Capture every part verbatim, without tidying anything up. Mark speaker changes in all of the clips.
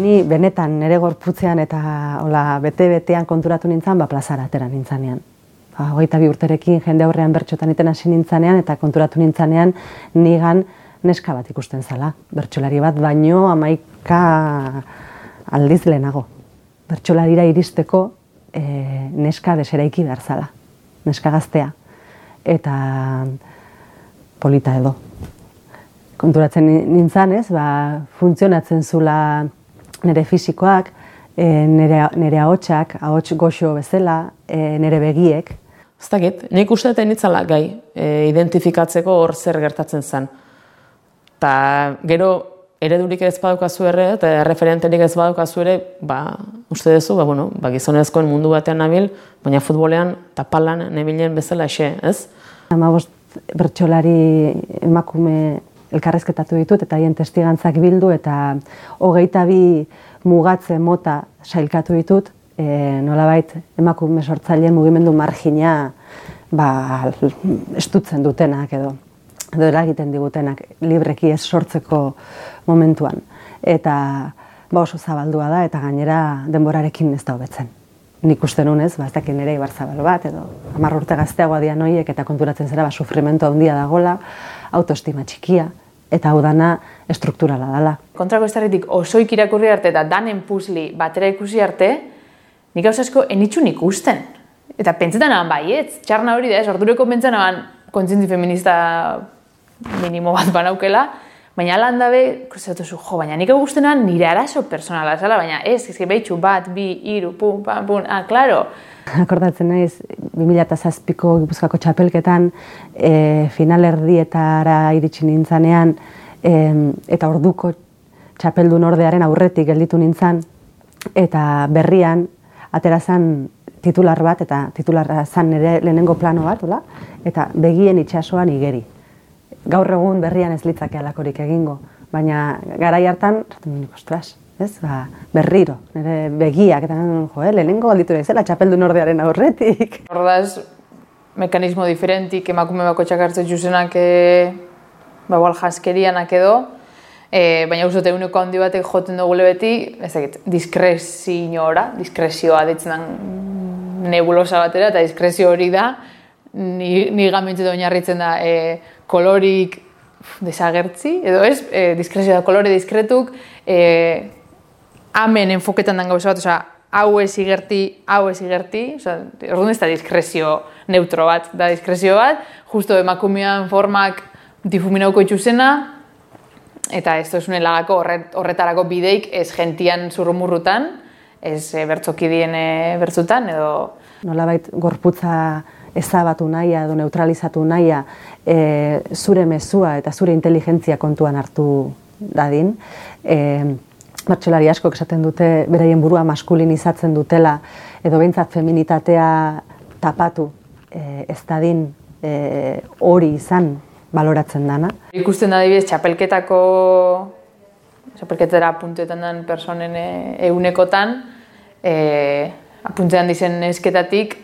Speaker 1: Ni benetan nire gorputzean eta hola, bete-betean konturatu nintzen, ba, plazara atera nintzanean. Ba, hogeita bi urterekin jende aurrean bertxotan iten hasi nintzanean eta konturatu nintzanean nigan neska bat ikusten zala. Bertsolari bat baino hamaika aldiz lehenago. Bertsolarira iristeko e, neska deseraiki behar zala. Neska gaztea. Eta polita edo. Konturatzen nintzen ez, ba, funtzionatzen zula nire fisikoak, e, nire, nire ahotsak, ahots goxo bezala, e, nire begiek.
Speaker 2: Ez dakit, nik uste dut nitzala gai e, identifikatzeko hor zer gertatzen zen. Ta gero eredurik ez badukazu ere, eta referenterik ez badukazu ere, ba, uste duzu, ba, bueno, ba, gizonezkoen mundu batean nabil, baina futbolean eta palan nebilen bezala xe, ez?
Speaker 1: Hamabost bertsolari emakume elkarrezketatu ditut eta haien testigantzak bildu eta hogeita bi mugatze mota sailkatu ditut, e, nolabait emakume sortzaileen mugimendu margina ba, estutzen dutenak edo, edo eragiten digutenak libreki ez sortzeko momentuan. Eta ba, oso zabaldua da eta gainera denborarekin ez da hobetzen. Nik uste nunez, ba, ez dakit nire Ibarzabal bat edo hamar urte gazteagoa dian horiek eta konturatzen zera ba, sufrimentu handia dagola, autoestima txikia, eta hau dana estrukturala dela.
Speaker 3: Kontrako estarritik osoik irakurri arte eta danen puzli batera ikusi arte, nik gauza asko enitxun ikusten. Eta pentsetan aban baietz, txarna hori da ez, ordureko pentsan aban kontzientzi feminista minimo bat banaukela, baina alan dabe, kusatuzu, jo, baina nik augustenan nire arazo personala zala, baina ez, ezke behitxu bat, bi, iru, pum, pam, pum, ah, klaro.
Speaker 1: Akordatzen naiz, bi mila zazpiko Gipuzkoako txapelketan e, finalerdietara iritsi nintzanean e, eta orduko txapeldun ordearen aurretik gelditu nintzan eta berrian atera zan titular bat eta titularra zan nire lehenengo plano bat, ola? Eta begien itsasoan igeri. Gaur egun berrian ez litzake alakorik egingo, baina garai hartan, ostras, ez, ba, berriro, nire begiak, eta jo, eh, lehenengo galditu naizela txapeldun ordearen aurretik.
Speaker 3: Ordaz, mekanismo diferentik emakume bako txakartzen juzenak e, ba, igual jaskerianak edo, e, baina uste eguneko handi batek joten dugule beti, ez dakit, diskrezioa, diskresioa ditzen den nebulosa batera, eta diskrezio hori da, ni, ni gamentzetan oinarritzen da, e, kolorik desagertzi, edo ez, e, diskrezio da kolore diskretuk, e, hemen enfoketan den gauza bat, oza, hau ez igerti, hau ez igerti, oza, orduan ez da diskrezio neutro bat, da diskrezio bat, justo emakumean formak difuminauko itxuzena, eta ez tozunen lagako horret, horretarako bideik ez gentian zurrumurrutan, ez e, bertzokidien e, bertzutan, edo...
Speaker 1: Nolabait gorputza ezabatu nahia edo neutralizatu nahia e, zure mezua eta zure inteligentzia kontuan hartu dadin. E, Bertsolari askok esaten dute beraien burua maskulinizatzen dutela edo behintzat feminitatea tapatu e, ez dadin e, hori izan baloratzen dana.
Speaker 3: Ikusten da adibidez txapelketako txapelketara apuntetan den personen eunekotan e, apuntetan dizen nesketatik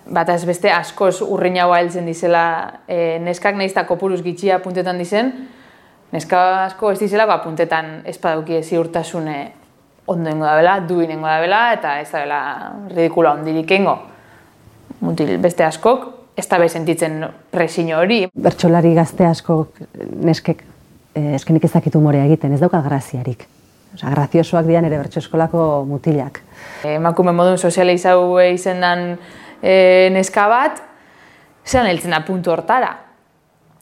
Speaker 3: bat ez beste askoz urrinagoa heltzen dizela e, neskak nahiz eta kopuruz gitxia apuntetan dizen, neska asko ez dizelako apuntetan espaduki ziurtasune ondoengo da bela, duinengo da bela, eta ez da bela ridikula ondirik engo. Mutil beste askok, ez da be sentitzen presio hori.
Speaker 1: Bertsolari gazte askok neskek eh, eskenik ez dakit humorea egiten, ez dauka graziarik. Osa, graziosoak dian ere bertso eskolako mutilak.
Speaker 3: Emakume modun sozializau izendan e, neska bat, zelan heltzen da puntu hortara.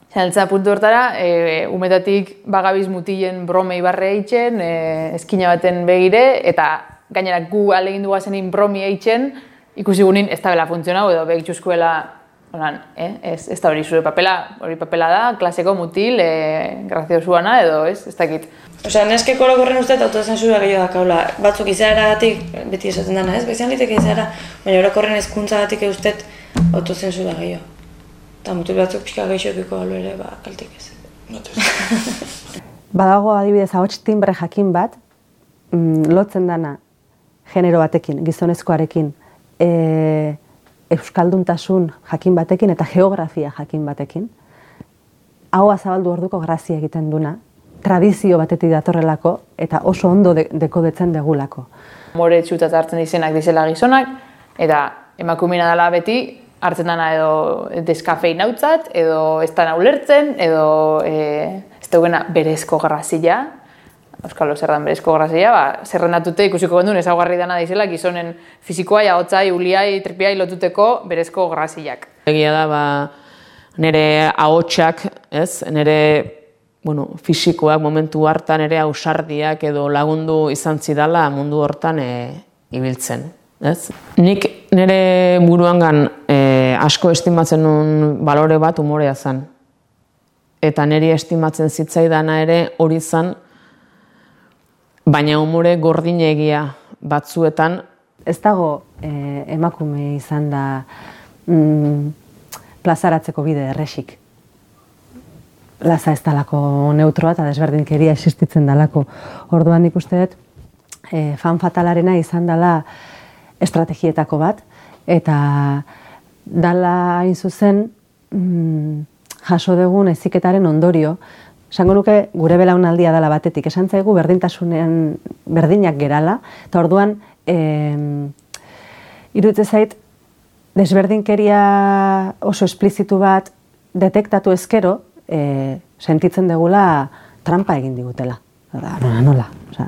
Speaker 3: Zelan heltzen da puntu hortara, e, umetatik bagabiz mutilen bromei barre eitzen, e, eskina baten begire, eta gainera gu alegin dugazenin bromi eitzen, ikusi gunin ez da bela funtzionau edo begitxuzkoela, onan, eh? ez, ez da hori zure papela, hori papela da, klaseko mutil, e, graziosuana edo ez, ez dakit.
Speaker 4: Osea, neskeko orokorren uste eta autozensura gehiago dakaula. Batzuk izaeragatik, beti esaten dana, ez? Bezian liteke izaera, baina orokorren hezkuntzagatik eustet autozensura gehiago. Eta mutil batzuk pixka gehiagoko galo ere, ba, kaltik ez.
Speaker 1: Badago adibidez ahots timbre jakin bat, mm, lotzen dana genero batekin, gizonezkoarekin, e, euskalduntasun jakin batekin eta geografia jakin batekin. Ahoa zabaldu orduko grazia egiten duna, tradizio batetik datorrelako eta oso ondo de, dekodetzen degulako.
Speaker 3: More txutat hartzen dizenak dizela gizonak, eta emakumena dela beti hartzen dana edo deskafeinautzat, edo ez dana ulertzen, edo e, ez daugena berezko grazia, Euskalo zerran berezko grazia, ba, zerrendatute ikusiko gondun ezaugarri dana dizela gizonen fizikoa, jagotzai, uliai, tripiai lotuteko berezko graziak.
Speaker 2: Egia da, ba, nire ahotsak, ez, nire bueno, fisikoak momentu hartan ere ausardiak edo lagundu izan zidala mundu hortan e, ibiltzen. Ez? Nik nire buruangan e, asko estimatzen nuen balore bat umorea zen. Eta niri estimatzen zitzaidana ere hori zen, baina umore gordinegia batzuetan. Ez
Speaker 1: dago e, emakume izan da mm, plazaratzeko bide erresik. Laza ez dalako neutroa eta desberdinkeria existitzen dalako. Orduan nik uste dut, e, fan fatalarena izan dela estrategietako bat, eta dala hain zuzen mm, jaso dugun heziketaren ondorio, esango nuke gure belaunaldia dela batetik, esan zaigu berdintasunean berdinak gerala, eta orduan e, iruditzen zait desberdinkeria oso esplizitu bat detektatu ezkero, E, sentitzen degula trampa egin digutela. Nola, nola. Osa,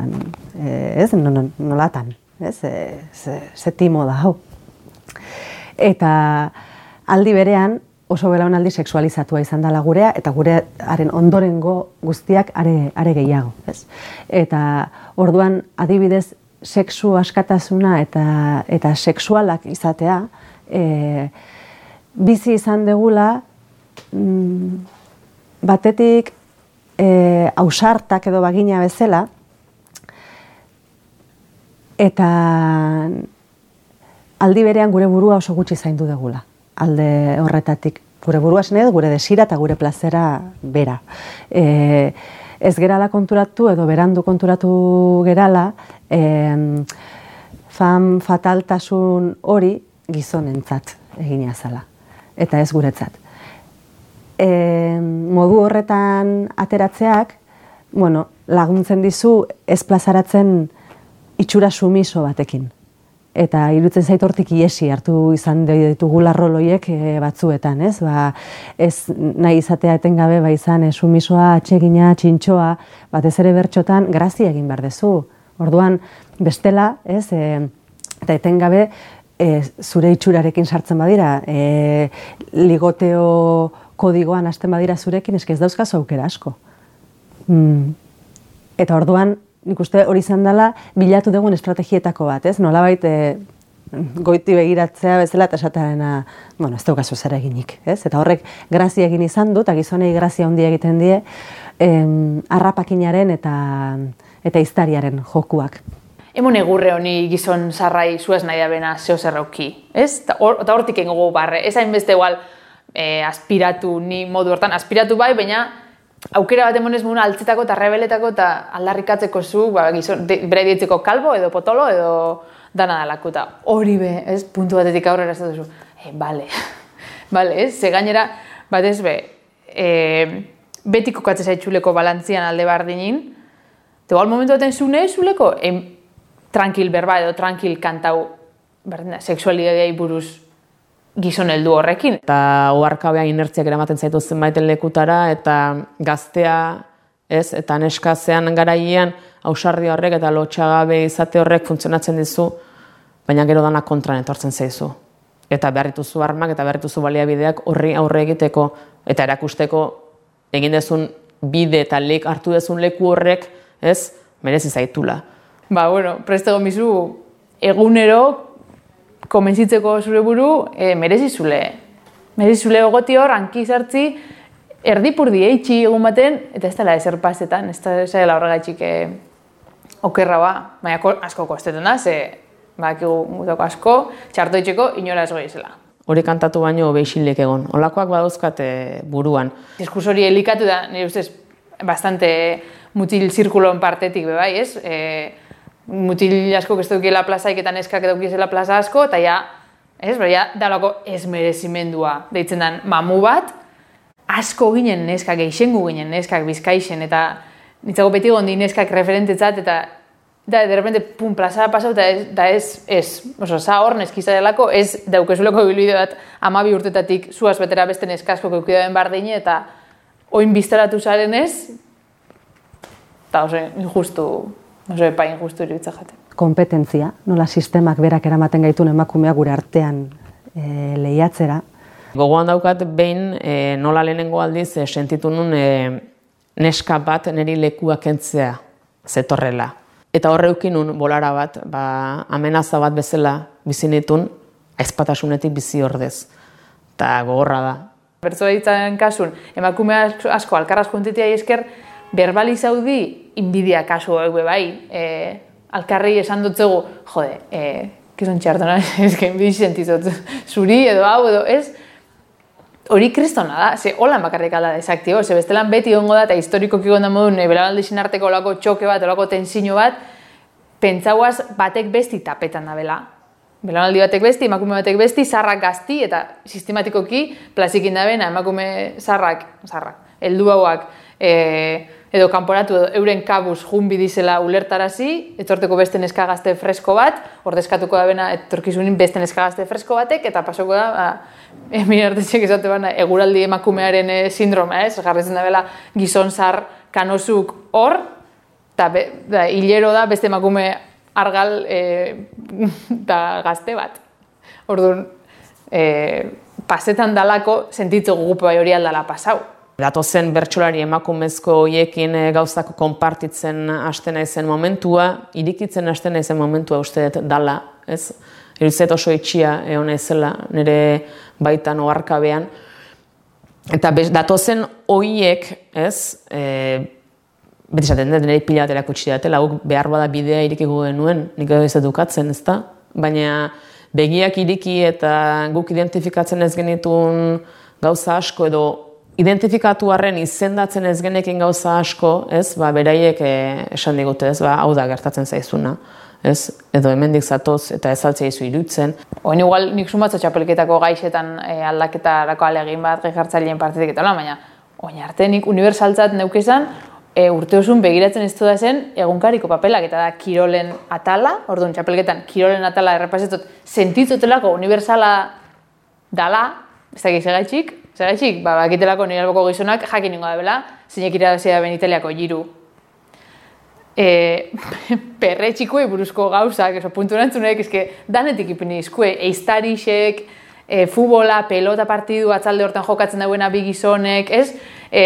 Speaker 1: e, ez, no, no, nolatan. Ez, e, ze, ze timo da, hau. Eta aldi berean oso belaunaldi sexualizatua izan dela gurea, eta gurearen ondorengo guztiak are, are gehiago. Ez? Eta orduan adibidez sexu askatasuna eta, eta sexualak izatea, e, bizi izan degula mm, batetik e, ausartak edo bagina bezala, eta aldi berean gure burua oso gutxi zaindu degula. Alde horretatik gure burua zen edo gure desira eta gure plazera bera. E, ez gerala konturatu edo berandu konturatu gerala, e, fan fataltasun hori gizonentzat egina zala, eta ez guretzat. E, modu horretan ateratzeak, bueno, laguntzen dizu ez plazaratzen itxura sumiso batekin. Eta iruditzen zait hortik iesi hartu izan ditugula roloiek e, batzuetan, ez? Ba, ez nahi izatea etengabe ba izan e, sumisoa, atsegina, txintxoa, batez ere bertxotan grazia egin behar dezu. Orduan, bestela, ez? E, eta etengabe e, zure itxurarekin sartzen badira, e, ligoteo kodigoan hasten badira zurekin, eske ez dauzkazu aukera asko. Mm. Eta orduan, nik uste hori izan dela bilatu dugun estrategietako bat, ez? Nolabait e, goiti begiratzea bezala eta esatarena, bueno, ez daukazu zer eginik, ez? Eta horrek grazia egin izan dut, eta gizonei grazia handia egiten die, em, harrapakinaren eta, eta iztariaren jokuak.
Speaker 3: Emon egurre honi gizon zarrai zuez nahi da bena zeo zerrauki, ez? Eta hortik engogu barre, ez hainbeste igual, E, aspiratu, ni modu hortan, aspiratu bai, baina aukera bat emonez muna altzetako eta rebeletako eta aldarrikatzeko zu, ba, gizon, de, bere dietzeko kalbo edo potolo edo dana dalako eta hori be, ez, puntu batetik aurrera ez duzu, e, bale, bale, ez, ze gainera, bat ez be, e, beti kokatzea zaitxuleko balantzian alde bardinin, eta igual momentu baten zune zuleko, e, tranquil berba edo tranquil kantau, berdina, seksualidadei buruz gizon heldu horrekin. Eta
Speaker 2: oharkabean inertziak eramaten zaitu zenbaiten lekutara, eta gaztea, ez, eta neskazean garaian, ausardi horrek eta lotxagabe izate horrek funtzionatzen dizu, baina gero dana kontran etortzen zaizu. Eta beharrituzu armak eta beharrituzu baliabideak horri aurre egiteko, eta erakusteko egin dezun bide eta lek hartu dezun leku horrek, ez, merezi zaitula.
Speaker 3: Ba, bueno, prestego mizu, egunero, komentzitzeko zure buru, e, merezizule. Merezizule ogoti hor, hanki zartzi, erdipurdi eitxi egun baten, eta ez dela ezer pasetan, ez dela horregaitxik e, okerra ba. Baina asko kostetan da, ze bakigu gutako asko, txartoitzeko inora ez goizela.
Speaker 2: Hori kantatu baino beixilek egon. Olakoak badauzkat e, buruan.
Speaker 3: Diskurso hori elikatu da, nire ustez, bastante mutil zirkulon partetik bebai, ez? E, mutil asko ez dukiela plazaik eta neskak edukizela plaza asko, eta ja, ez, ja, dalako ez merezimendua deitzen den mamu bat, asko ginen neskak, eixengu ginen neskak bizkaixen, eta Nitzago beti gondi neskak referentetzat, eta da, de repente, pum, plazara pasau, eta ez, da ez, ez, oso, za hor neskiza delako, ez daukezuleko bilbide bat amabi urtetatik zuaz betera beste neskasko keukidaren bardine, eta oin biztaratu zaren ez, eta oso injustu, oso epa injustu iruditza jaten.
Speaker 1: Kompetentzia, nola sistemak berak eramaten gaitun emakumea gure artean e, lehiatzera.
Speaker 2: Gogoan daukat behin e, nola lehenengo aldiz e, sentitu nun e, neska bat niri lekua kentzea zetorrela. Eta horreukin nun bolara bat, ba, amenaza bat bezala bizinitun, aizpatasunetik bizi ordez. Eta gogorra da.
Speaker 3: Bertsolaritzaren kasun, emakume asko alkarraz juntitia esker, berbalizaudi inbidia kasu hau bai. E, alkarri esan dutzegu, jode, e, kizon txartona, ezken bizi sentizot zuri edo hau edo ez, hori kristona da, ze holan bakarrik alda desaktio, ze bestelan beti ongo da, eta historikoki gonda modun, e, belaunaldizin arteko olako txoke bat, olako tensiño bat, pentsauaz batek besti tapetan da bela. Belaunaldi batek besti, emakume batek besti, zarrak gazti, eta sistematikoki plazikin da bena, emakume zarrak, zarrak, heldu hauak, e, edo kanporatu edo euren kabuz junbi dizela ulertarazi, etorteko beste neska gazte fresko bat, ordezkatuko da bena etorkizunin beste neska gazte fresko batek, eta pasoko da, ba, Emile Artetxek esate bana, eguraldi emakumearen e, sindroma, ez? Jarretzen da bela gizon zar kanosuk hor, eta da, hilero da beste emakume argal eta e, gazte bat. Orduan, e, pasetan dalako sentitzu gupe bai hori aldala pasau.
Speaker 2: Datozen bertsolari emakumezko hoiekin gauzak konpartitzen hasten naizen momentua, irikitzen hasten naizen momentua uste dut dala, ez? Iruditzait oso itxia egon naizela nire baitan oharkabean. Eta bez, datozen hoiek, ez? E, beti esaten dut, nire pila bat erakutsi datela, guk behar bada bidea irikiko genuen, nik edo ez edukatzen, ez da? Baina begiak iriki eta guk identifikatzen ez genitun gauza asko edo identifikatu arren izendatzen ez genekin gauza asko, ez, ba, beraiek e, esan digute, ez, ba, hau da gertatzen zaizuna, ez, edo hemendik zatoz eta ez altzea izu irutzen.
Speaker 3: Oin igual nik sumatzo txapelketako gaixetan e, aldaketarako alegin bat gehartzaileen partitik eta baina oin arte nik unibertsaltzat neukezan e, urte osun begiratzen ez da zen egunkariko papelak eta da kirolen atala, orduan txapelketan kirolen atala errepasetot sentitzotelako unibertsala dala, ez da gizegaitxik, Zergaitxik, ba, bakitelako nire alboko gizonak jakin ningo da bela, zeinek irabazia ben Italiako jiru. E, perre txikuei buruzko gauzak, eso, puntu erantzunek, eske, danetik ipini izkue, eiztarixek, e, futbola, pelota partidu, atzalde hortan jokatzen dauena bi gizonek, ez? E,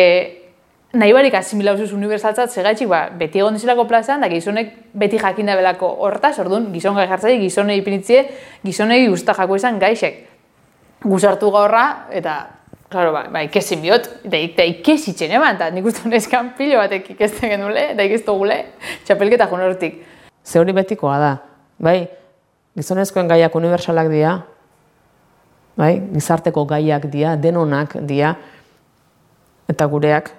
Speaker 3: nahi barik asimilauzuz unibertsaltzat, zergaitxik, ba, beti egon dizilako plazan, da gizonek beti jakin da belako hortaz, orduan, gizon gai jartzai, gizonei ipinitzie, gizonei usta jako izan gaixek. Guzartu gaurra, eta claro, ba, ba ikesin biot, eta ikesitzen eman, eta nik uste neskan pilo batek ikesten genule, eta ikestu gule, txapelketa jun hortik.
Speaker 2: Ze hori betikoa da, bai, gizonezkoen gaiak unibertsalak dira, bai, gizarteko gaiak dira, denonak dira, eta gureak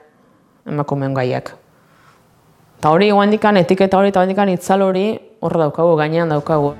Speaker 2: emakumeen gaiak. Eta hori guandikan, etiketa hori eta guandikan itzal hori hor daukagu, gainean daukagu.